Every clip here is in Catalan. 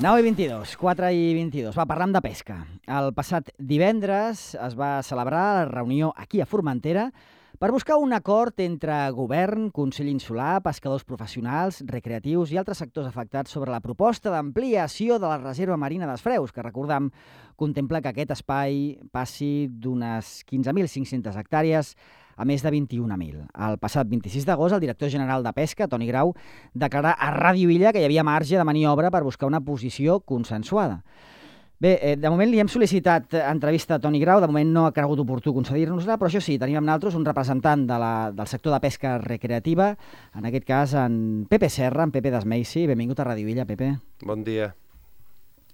9:22, 4:22. Va, parlam de pesca. El passat divendres es va celebrar la reunió aquí a Formentera per buscar un acord entre govern, Consell Insular, pescadors professionals, recreatius i altres sectors afectats sobre la proposta d'ampliació de la reserva marina dels Freus, que recordam contempla que aquest espai passi d'unes 15.500 hectàrees a més de 21.000. El passat 26 d'agost, el director general de Pesca, Toni Grau, declarà a Ràdio Illa que hi havia marge de maniobra per buscar una posició consensuada. Bé, de moment li hem sol·licitat entrevista a Toni Grau, de moment no ha cregut oportú concedir-nos-la, però això sí, tenim amb nosaltres un representant del sector de pesca recreativa, en aquest cas en Pepe Serra, en Pepe d'Esmeici. Benvingut a Ràdio Illa, Pepe. Bon dia.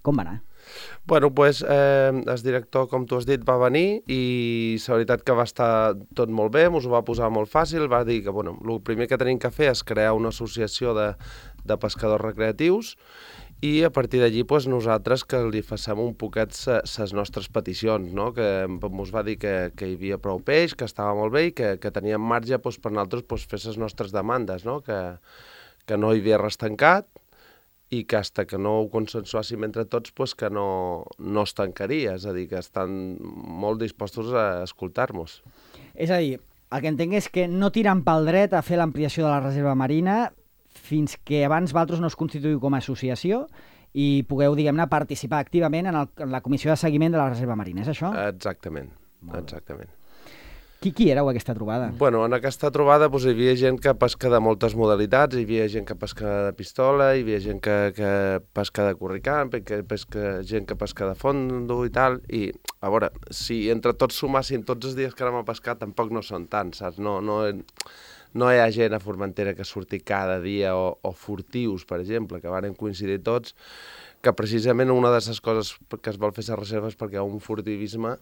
Com va anar? Bueno, doncs el director, com tu has dit, va venir i la veritat que va estar tot molt bé, ens ho va posar molt fàcil, va dir que el primer que tenim que fer és crear una associació de pescadors recreatius i a partir d'allí nosaltres que li facem un poquet les nostres peticions, no? Que ens va dir que hi havia prou peix, que estava molt bé i que teníem marge per nosaltres fer les nostres demandes, no? Que no hi havia res tancat i que fins que no ho consensuàssim entre tots que no es tancaria, és a dir, que estan molt dispostos a escoltar-nos. És a dir, el que entenc és que no tiren pel dret a fer l'ampliació de la reserva marina fins que abans vosaltres no us constituïu com a associació i pugueu, diguem-ne, participar activament en la comissió de seguiment de la reserva marina, és això? Exactament, exactament. Qui éreu aquesta trobada? Bueno, en aquesta trobada hi havia gent que pesca de moltes modalitats, hi havia gent que pesca de pistola, hi havia gent que pesca de curricant, gent que pesca de fondo i tal, i a veure, si entre tots sumàssim tots els dies que anem a pescar tampoc no són tants, saps? No hi ha gent a Formentera que surti cada dia o furtius, per exemple, que van coincidir tots, que precisament una de les coses que es vol fer a la reserva és perquè hi ha un furtivisme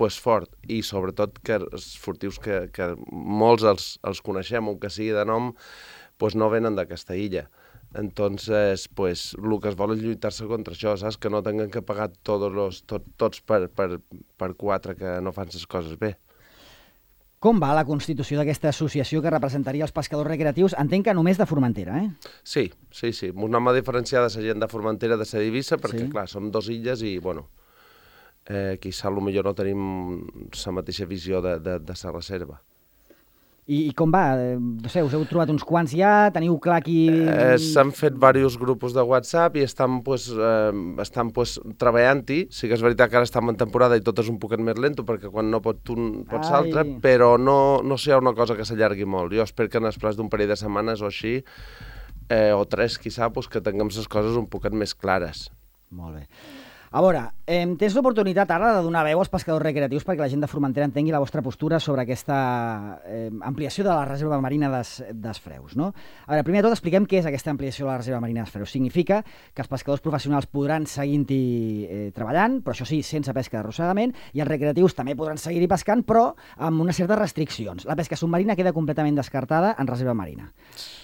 fort, i sobretot que els furtius que molts els coneixem, o que sigui de nom, no venen d'aquesta illa. Entonces, el que es vol és lluitar-se contra això, saps? Que no tinguin que pagar tots per quatre que no fan les coses bé. Com va la constitució d'aquesta associació que representaria els pescadors recreatius? Entenc que només de Formentera, eh? Sí. Ens anem a diferenciar de la gent de Formentera, de la d'Eivissa, perquè, clar, som dos illes i, quizà potser no tenim la mateixa visió de la reserva. I com va? No sé, us heu trobat uns quants ja? Teniu clar qui... S'han fet diversos grupos de WhatsApp i estan treballant-hi. Sí que és veritat que ara estem en temporada i tot és un poquet més lento, perquè quan no pot un pot l'altre, però no sé, una cosa que s'allargui molt. Jo espero que en el plaç d'un parell de setmanes o així, o tres, quizà, que tinguem les coses un poquet més clares. Molt bé. A veure, tens l'oportunitat ara de donar veu als pescadors recreatius perquè la gent de Formentera entengui la vostra postura sobre aquesta ampliació de la reserva marina dels Freus, no? A veure, primer de tot expliquem què és aquesta ampliació de la reserva marina dels Freus. Significa que els pescadors professionals podran seguir-hi treballant, però això sí, sense pesca d'arrossegament, i els recreatius també podran seguir-hi pescant, però amb unes certes restriccions. La pesca submarina queda completament descartada en reserva marina.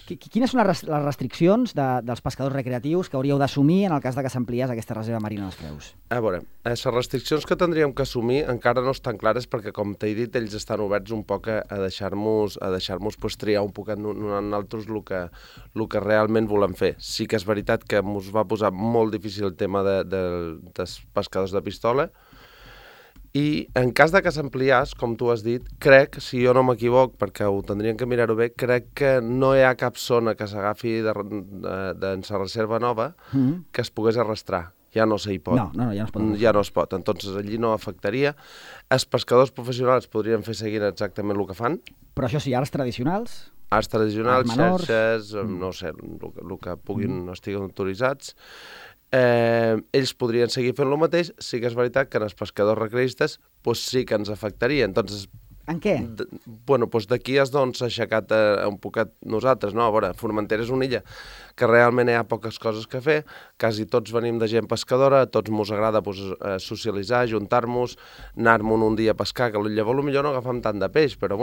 Quines són les restriccions dels pescadors recreatius que hauríeu d'assumir en el cas que s'ampliés aquesta reserva marina dels Freus? A veure, les restriccions que tindríem que assumir encara no estan clares perquè, com t'he dit, ells estan oberts un poc a deixar-nos triar un poc a nosaltres el que realment volem fer. Sí que és veritat que ens va posar molt difícil el tema dels pescadors de pistola, i en cas de que s'ampliés, com tu has dit, crec, si jo no m'equivoc, perquè ho tindríem que mirar-ho bé, crec que no hi ha cap zona que s'agafi de la reserva nova que es pogués arrastrar. Ja no s'hi pot. No, ja no es pot. Ja no es pot. Entonces, allí no afectaria. Els pescadors professionals podrien fer seguint exactament el que fan. Però això sí, arts tradicionals? Arts tradicionals, xarxes, no sé, el que puguin estiguen autoritzats. Ells podrien seguir fent el mateix. Sí que és veritat que en els pescadors recreistes sí que ens afectaria. Entonces, en què? D'aquí és d'on s'ha aixecat un poquet nosaltres, no? A veure, Formentera és una illa que realment hi ha poques coses que fer, quasi tots venim de gent pescadora, a tots mos agrada socialitzar, juntar-nos, anar-me'n un dia a pescar, que llavors potser no agafem tant de peix, però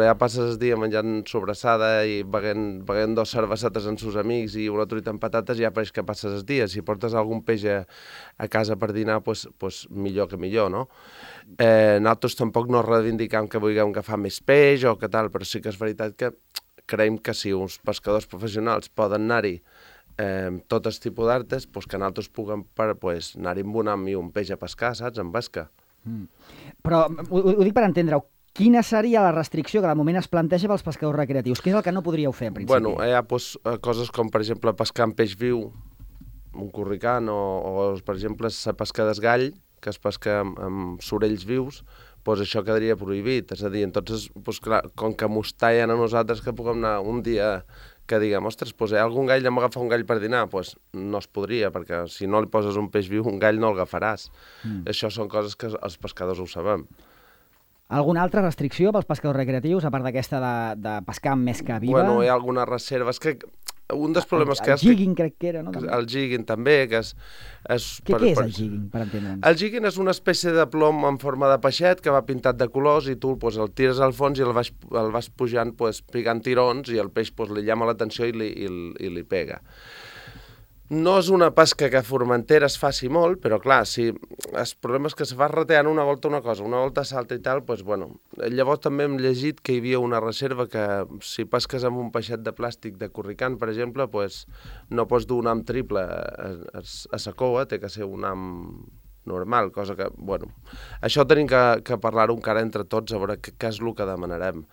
ja passes el dia menjant sobrassada i beguent 2 cervesetes amb sus amics i una truita amb patates, ja pareix que passes el dia. Si portes algun peix a casa per dinar, millor que millor, no? Nosaltres tampoc no reivindicam que vulguem agafar més peix o que tal, però sí que és veritat que creiem que si uns pescadors professionals poden anar-hi tot el tipus d'artes, pues, que nosaltres puguem anar-hi amb un am i un peix a pescar, saps? En pesca. Però ho dic per entendre-ho. Quina seria la restricció que de moment es planteja pels pescadors recreatius? Què és el que no podríeu fer, en principi? Bueno, hi ha coses com, per exemple, pescar amb peix viu, un corricant, o per exemple, la pesca d'esgall, que es pesca amb sorells vius, doncs això quedaria prohibit. És a dir, entonces, clar, com que mos tallen a nosaltres que puguem anar un dia que diguem, ostres, hi ha algun gall, anem a agafar un gall per dinar, doncs no es podria, perquè si no li poses un peix viu, un gall no el agafaràs. Això són coses que els pescadors ho sabem. Alguna altra restricció pels pescadors recreatius, a part d'aquesta de pescar amb mesca viva? Bueno, hi ha alguna reserva. És que un dels problemes que... El jigging crec que era, no? El jigging també, que és... Què és el jigging, per entendre'ns? El jigging és una espècie de plom en forma de peixet que va pintat de colors i tu el tires al fons i el vas pujant picant tirons i el peix li llama l'atenció i li pega. No és una pesca que a Formentera es faci molt, però clar, si el problema és que se va rateant una volta una cosa, una volta salta i tal, doncs bueno. Llavors també hem llegit que hi havia una reserva que si pesques amb un peixet de plàstic de corricant, per exemple, doncs no pots dur un am triple a sa coa, té que ser un am normal, cosa que, bueno, això tenim que parlar-ho encara entre tots, a veure què és el que demanarem.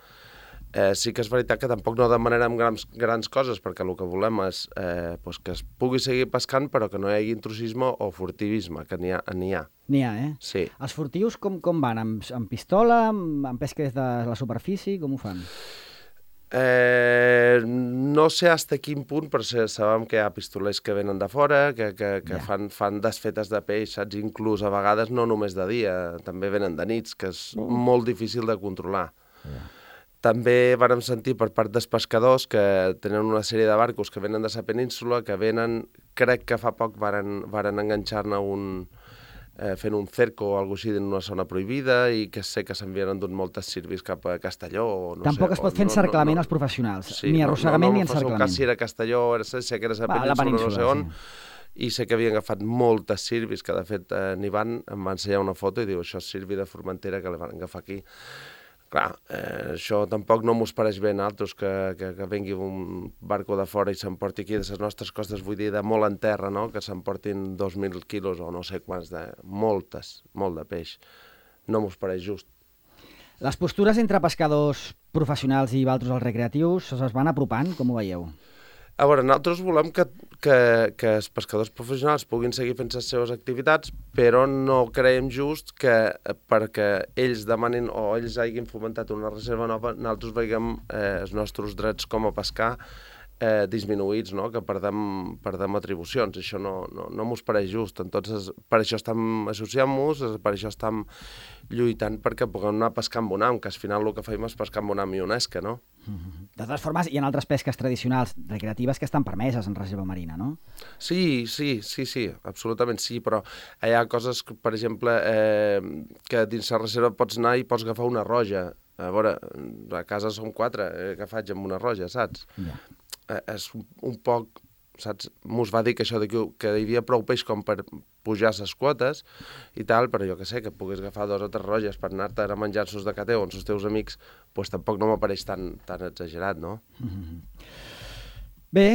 Sí que és veritat que tampoc no demanarem grans coses, perquè el que volem és que es pugui seguir pescant, però que no hi hagi intrusisme o furtivisme, que n'hi ha. N'hi ha, eh? Sí. Els furtius com van? Amb pistola, amb pesca des de la superfície? Com ho fan? No sé fins a quin punt, però sabem que hi ha pistolers que venen de fora, que fan desfetes de peix, saps? Inclús a vegades no només de dia, també venen de nits, que és molt difícil de controlar. També vàrem sentir per part dels pescadors que tenen una sèrie de barcos que venen de la península, que venen, crec que fa poc varen enganxar-ne fent un cerco o alguna cosa així en una zona prohibida i que sé que s'envien endut moltes sirvis cap a Castelló. Tampoc es pot fer encerclament als professionals, ni arrossegament ni encerclament. No cas si era Castelló, sé que era la península, no sé on, i sé que havien agafat moltes sirvis, que de fet n'hi em va ensenyar una foto i diu, això és sirvi de Formentera que la van agafar aquí. Clar, això tampoc no mos pareix bé a nosaltres que vengui un barco de fora i s'emporti aquí de les nostres costes, vull dir, de molt en terra, no? Que s'emportin 2.000 quilos o no sé quants, molt de peix. No mos pareix just. Les postures entre pescadors professionals i altres els recreatius es van apropant, com ho veieu? A veure, nosaltres volem que els pescadors professionals puguin seguir fent les seves activitats, però no creiem just que perquè ells demanin o ells hagin fomentat una reserva nova, nosaltres veiem els nostres drets com a pescar disminuïts, no? Que perdem atribucions. Això no mos pareix just. Entonces, per això estem associant-nos, per això estem lluitant perquè puguem anar a pescar amb un am, que al final el que fem és pescar amb un am i una esca, no? De totes formes, hi ha altres pesques tradicionals recreatives que estan permeses en reserva marina, no? Sí, absolutament sí, però hi ha coses, per exemple, que dins la reserva pots anar i pots agafar una roja. A veure, a casa som 4, què faig amb una roja, saps? Ja. És un poc, saps? Mos va dir que això que hi havia prou peix com per pujar les quotes i tal, però jo que sé, que puguis agafar 2 o 3 roges per anar-te a menjar-sos de cateu amb els teus amics, doncs tampoc no m'apareix tan exagerat, no? Bé,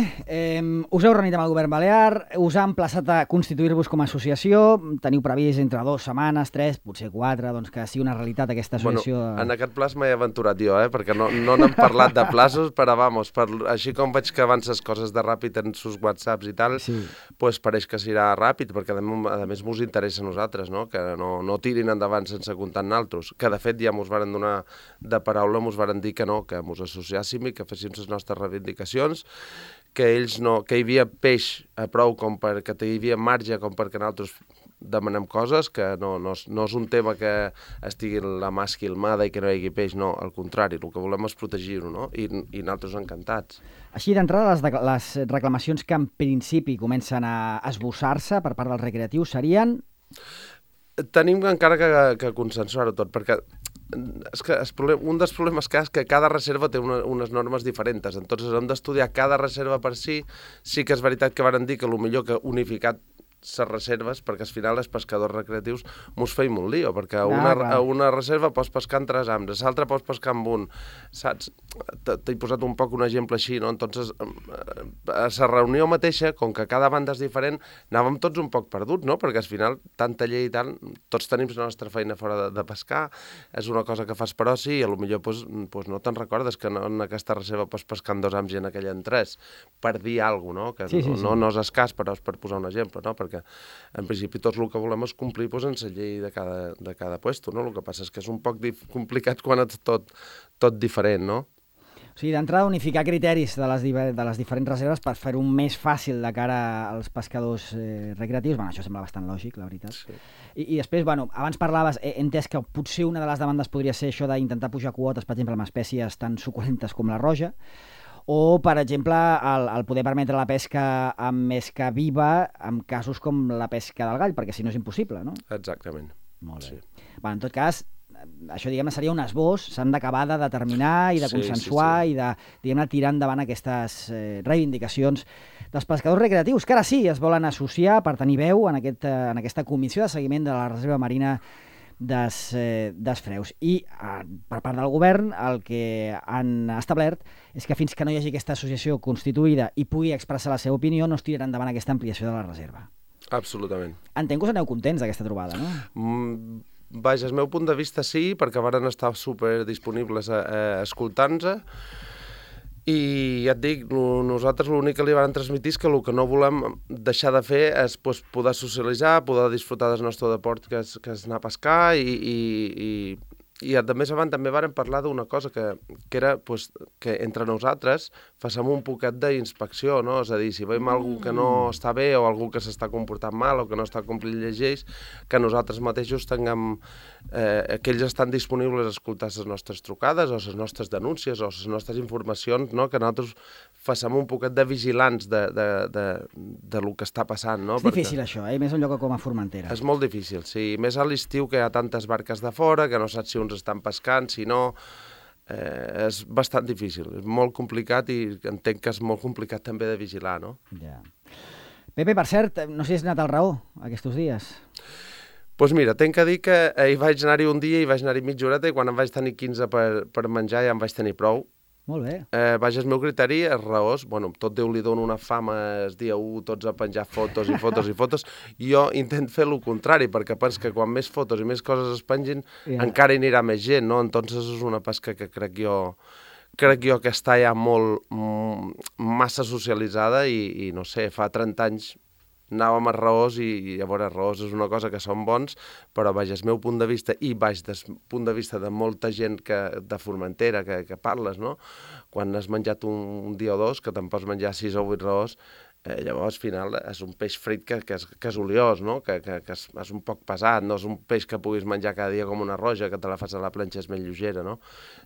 us heu reunit amb el govern balear, us ha emplaçat a constituir-vos com a associació, teniu previst entre 2 setmanes, 3, potser 4, doncs que sigui una realitat aquesta associació... Bueno, en aquest plaç m'he aventurat jo, perquè no n'hem parlat de plaços, però vamos, així com veig que avances coses de ràpid en sus whatsapps i tal, doncs pareix que serà ràpid, perquè a més mos interessa a nosaltres, no? Que no tirin endavant sense comptar amb nosaltres, que de fet ja mos varen donar de paraula, mos varen dir que no, que mos associàssim i que féssim les nostres reivindicacions, que hi havia peix a prou com perquè hi havia marge com perquè nosaltres demanem coses, que no és un tema que estigui la mà esquilmada i que no hi hagi peix, no, al contrari, el que volem és protegir-ho, no? I nosaltres encantats. Així d'entrada, les reclamacions que en principi comencen a esbossar-se per part dels recreatius serien? Tenim encara que consensuar-ho tot, perquè és que un dels problemes que és que cada reserva té unes normes diferents, entonces hem d'estudiar cada reserva per si. Sí que és veritat que varen dir que potser que unificat les reserves, perquè al final els pescadors recreatius mos feim un lío, perquè clar. a una reserva pots pescar en 3 hambres, a l'altra pots pescar amb un, saps? T'he posat un poc un exemple així, no? Entonces, a la reunió mateixa, com que cada banda és diferent, anàvem tots un poc perduts, no? Perquè al final, tanta llei i tant, tots tenim la nostra feina fora de pescar, és una cosa que fas per oci i potser pues no te'n recordes que en aquesta reserva pots pescar en 2 hams i en aquella en 3, per dir alguna cosa, no? Que sí. no és escàs, però és per posar un exemple, no? Perquè en principi tots el que volem és complir pues, en la llei de cada puesto, no? El que passa és que és un poc complicat quan és tot diferent, no? O sigui, d'entrada, unificar criteris de les diferents reserves per fer-ho més fàcil de cara als pescadors recreatius. Bueno, això sembla bastant lògic, la veritat. Sí. I després, bueno, abans parlaves, he entès que potser una de les demandes podria ser això d'intentar pujar quotes, per exemple, amb espècies tan suculentes com la roja, o, per exemple, el poder permetre la pesca amb mesca viva en casos com la pesca del gall, perquè si no és impossible, no? Exactament. Molt bé. Sí. Bueno, en tot cas, això, diguem-ne, seria un esbós, s'han d'acabar de determinar i de consensuar i de, diguem-ne, tirar endavant aquestes reivindicacions dels pescadors recreatius, que ara sí es volen associar per tenir veu en aquesta comissió de seguiment de la Reserva Marina des Freus. I per part del govern el que han establert és que fins que no hi hagi aquesta associació constituïda i pugui expressar la seva opinió no es tirarà endavant aquesta ampliació de la reserva. Absolutament. Entenc que us aneu contents d'aquesta trobada, no? Vaja, el meu punt de vista sí, perquè varen estar superdisponibles escoltant-nos, i ja et dic, nosaltres l'únic que li van transmitir és que el que no volem deixar de fer és pues, poder socialitzar, poder disfrutar del nostre deport, que és anar a pescar, i a més abans també vàrem parlar d'una cosa que era pues, que entre nosaltres facem un poquet d'inspecció, no? És a dir, si veiem algú que no està bé o algú que s'està comportant mal o que no està complint lleis, que nosaltres mateixos tinguem, que ells estan disponibles a escoltar les nostres trucades o les nostres denúncies o les nostres informacions, no? Que nosaltres facem un poquet de vigilants de lo que està passant, no? És difícil això, més un lloc com a Formentera. És molt difícil, sí. Més a l'estiu que hi ha tantes barques de fora, que no saps si uns estan pescant, si no... és bastant difícil, és molt complicat i entenc que és molt complicat també de vigilar, no? Ja. Pepe, per cert, no sé si has anat al Raó aquests dies. Doncs mira, tenc que dir que hi vaig anar-hi un dia i vaig anar-hi mitja horeta i quan em vaig tenir 15 per menjar ja em vaig tenir prou. Molt bé. Vaja, el meu criteri és raós. Bueno, tot Déu li dona una fama el dia 1, tots a penjar fotos i fotos i fotos. Jo intento fer el contrari, perquè penso que quan més fotos i més coses es pengin, encara hi anirà més gent, no? Entonces és una pesca que crec jo que està ja massa socialitzada i no sé, fa 30 anys anàvem a Raós i llavors Raós és una cosa que són bons, però vaja, el meu punt de vista i baix del punt de vista de molta gent de Formentera que parles, no? Quan has menjat un dia o dos, que te'n pots menjar 6 o 8 Raós, llavors al final és un peix frit que és oliós, no? Que és un poc pesat, no és un peix que puguis menjar cada dia com una roja, que te la fas a la planxa, és més lleugera, no?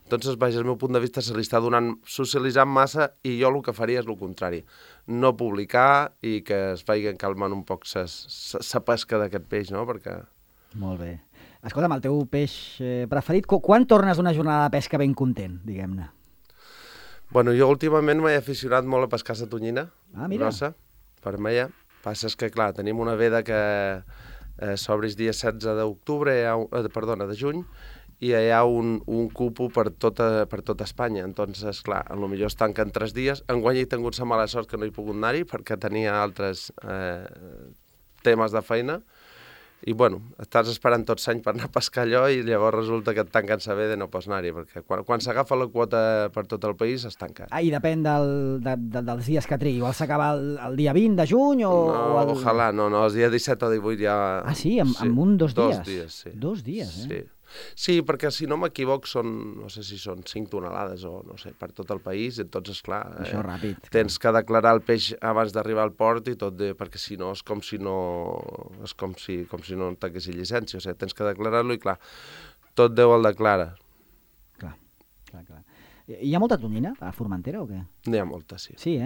Entonces, vaja, el meu punt de vista se li està socialitzant massa i jo el que faria és el contrari. No publicar i que es vagin calmant un poc la pesca d'aquest peix, no? Perquè... Molt bé. Escolta'm, el teu peix preferit, quan tornes d'una jornada de pesca ben content, diguem-ne? Bueno, jo últimament m'he aficionat molt a pescar la tonyina grossa, vermella. Passa és que, clar, tenim una veda que s'obre el dia 16 de juny, i hi ha un cupo per tota Espanya. Entonces, clar, potser es tanquen 3 dies. Enguany he tingut la mala sort que no he pogut anar-hi perquè tenia altres temes de feina. I, bueno, estàs esperant tot l'any per anar a pescar allò i llavors resulta que et tanquen la veda i no pots anar-hi, perquè quan s'agafa la quota per tot el país es tanca. I depèn dels dies que trigui. Igual s'acaba el dia 20 de juny o... No, ojalà, no, el dia 17 o 18 ja... Ah, sí? En 2 dies? 2 dies, sí. 2 dies, Sí. Sí, perquè si no m'equivoc no sé si són 5 tonelades o no sé, per tot el país, entonces clar, això ràpid, tens que declarar el peix abans d'arribar al port i tot, perquè si no és com si no tanquessis llicència, o sigui, tens que declarar-lo i clar, tot Déu el declara. Clar. Hi ha molta tonyina a Formentera o què? N'hi ha molta, sí. Sí,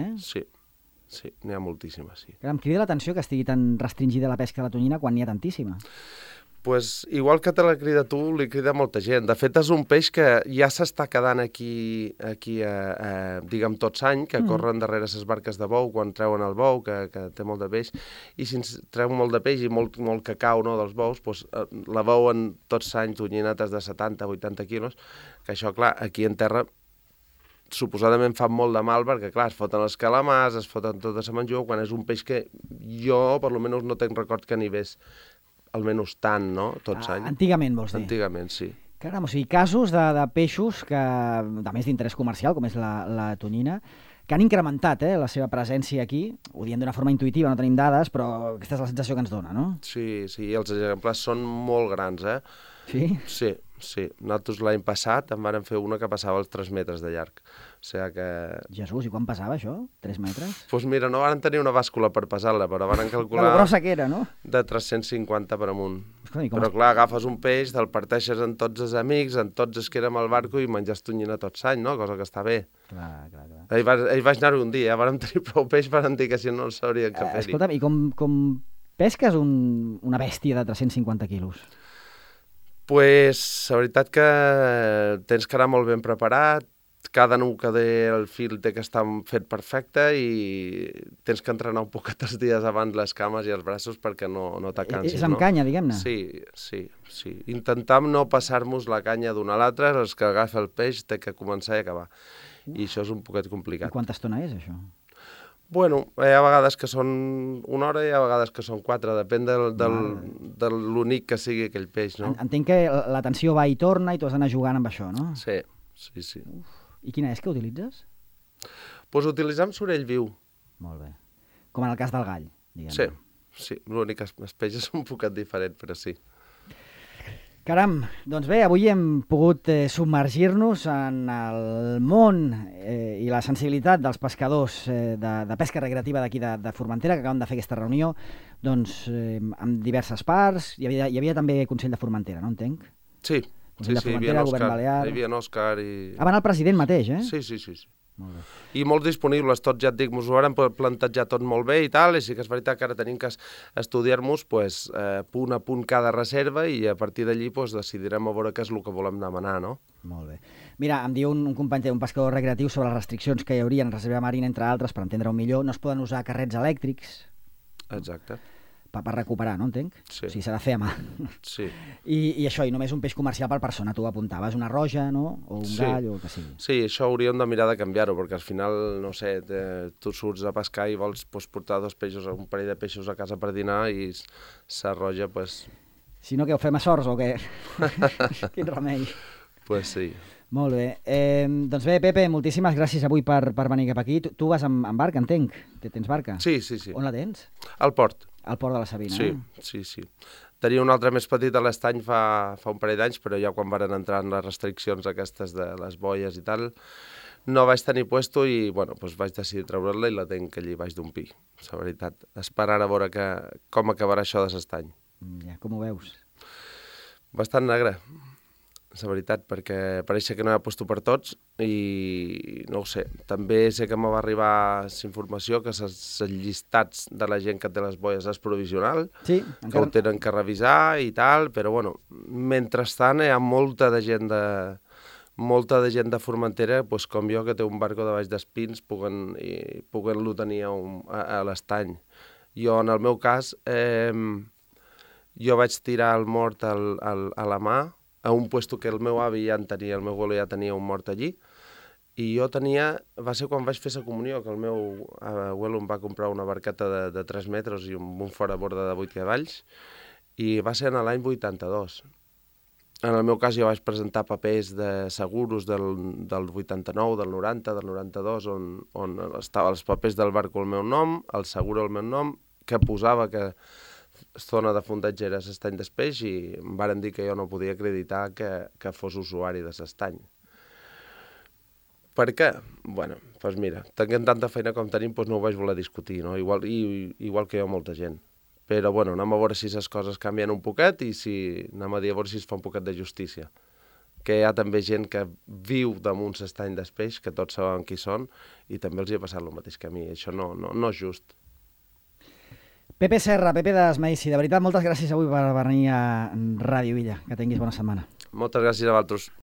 Sí, n'hi ha moltíssima, sí. Em crida l'atenció que estigui tan restringida la pesca de la tonyina quan n'hi ha tantíssima. Pues, igual que te la crida tu, li crida molta gent. De fet, és un peix que ja s'està quedant aquí diguem, tots any, que corren darrere les barques de bou quan treuen el bou, que té molt de peix, i si ens treu molt de peix i molt cacau, no, dels bous, doncs, la veuen tots any tonyinetes de 70-80 quilos, que això, clar, aquí en terra suposadament fan molt de mal perquè, clar, es foten els calamars, es foten tota la menjua, quan és un peix que jo, per almenys, no tenc record que n'hi hagués almenys tant, no?, tots anys. Antigament, vols dir? Antigament, sí. Caram, o sigui, casos de peixos que, de més d'interès comercial, com és la tonyina, que han incrementat la seva presència aquí, ho diem d'una forma intuïtiva, no tenim dades, però aquesta és la sensació que ens dona, no? Sí, els exemplars són molt grans, Sí? Sí. Nosaltres l'any passat en vàrem fer una que passava els 3 metres de llarg. O sigui que... Jesús, i quan passava això? 3 metres? Doncs mira, no van tenir una bàscula per pesar-la, però van calcular... La grossa que era, no? De 350 per amunt. Escolta, però clar, agafes un peix, te'l parteixes en tots els amics, en tots els que érem al barco i menges tonyina tot l'any, no? Cosa que està bé. Clar. Ahir vaig anar-hi un dia, vàrem tenir prou peix per dir que si no el sabrien què fer-hi. Escolta'm, i com pesques una bèstia de 350 quilos? Pues, la veritat que tens que anar molt ben preparat, cada nuc que té el fil té que estar fet perfecte i tens que entrenar un poquet els dies abans les cames i els braços perquè no t'acansis. És amb canya, diguem-ne? Sí. Intentam no passar-nos la canya d'una a l'altra, els que agafa el peix té que començar i acabar. I això és un poquet complicat. I quanta estona és, això? Bueno, hi ha vegades que són 1 hora i hi ha vegades que són 4, depèn de l'únic que sigui aquell peix, no? Entenc que la tensió va i torna i tu has d'anar jugant amb això, no? Sí. I quina és que utilitzes? Doncs utilitzem sorell viu. Molt bé. Com en el cas del gall, diguem-ne. Sí. L'únic que el peix és un poquet diferent, però sí. Caram, doncs bé, avui hem pogut submergir-nos en el món i la sensibilitat dels pescadors de pesca recreativa d'aquí de Formentera, que acaben de fer aquesta reunió amb diverses parts. Hi havia també Consell de Formentera, no entenc? Sí, Consell de Formentera, Govern Balear... Hi havia Òscar i... Va anar el president mateix, eh? Sí. Molt bé. I molt disponibles, tots, ja et dic, ens ho vàrem plantejar tot molt bé i tal, i sí que és veritat que ara tenim que estudiar-nos punt a punt cada reserva i a partir d'allí decidirem a veure què és el que volem demanar, no? Molt bé. Mira, em diu un company, un pescador recreatiu, sobre les restriccions que hi hauria en reserva marina, entre altres, per entendre-ho millor, no es poden usar carrets elèctrics. Exacte. Per recuperar, no entenc? Sí. O sigui, s'ha de fer a mà. Sí. I això, i només un peix comercial per persona, tu ho apuntaves, una roja, no? O un gall, o el que sigui. Sí, això hauríem de mirar de canviar-ho, perquè al final, no sé, tu surts a pescar i vols portar un parell de peixos a casa per dinar i la roja, Si no, què, ho fem a sorts o què? Quin remei. Pues sí. Molt bé. Doncs bé, Pepe, moltíssimes gràcies avui per venir cap aquí. Tu vas amb barca, entenc? Tens barca? Sí. On la tens? Al port. Al port de la Sabina, Sí. Tenia un altre més petit a l'estany fa un parell d'anys, però ja quan varen entrar en les restriccions aquestes de les boies i tal, no vaig tenir puesto i, bueno, vaig decidir treure-la i la tenc allí baix d'un pi, la veritat. Esperant a veure com acabarà això de l'estany. Ja, com ho veus? Bastant negre, la veritat, perquè pareix que no hi ha puesto per tots i no ho sé. També sé que me va arribar la informació que els llistats de la gent que té les boies és provisional, sí, que ho tenen que revisar i tal, però bueno, mentrestant hi ha molta de gent de Formentera, com jo, que té un barco de baix d'espins, puguen-lo tenir a l'estany. Jo, en el meu cas, jo vaig tirar el mort a la mà, a un puesto que el meu avi ja en tenia, el meu abuelo ja tenia un mort allí, i jo va ser quan vaig fer la comunió, que el meu abuelo em va comprar una barqueta de 3 metres i un foraborda de 8 cavalls, i va ser en l'any 82. En el meu cas jo vaig presentar papers de seguros del 89, del 90, del 92, on estaven els papers del barco al meu nom, el seguro al meu nom, que posava que zona de fondatge era l'estany d'Espeix i em varen dir que jo no podia acreditar que fos usuari de l'estany. Per què? Bueno, doncs mira, tenint tanta feina com tenim, no ho vaig voler discutir, no? Igual que jo molta gent. Però bueno, anem a veure si les coses canvien un poquet i anem a dir a veure si es fa un poquet de justícia. Que hi ha també gent que viu damunt l'estany d'Espeix, que tots saben qui són, i també els hi ha passat el mateix que a mi. Això no és just. Pepe Serra, Pepe d'Esmaïssi, de veritat, moltes gràcies avui per venir a Ràdio Illa. Que tinguis bona setmana. Moltes gràcies a vosaltres.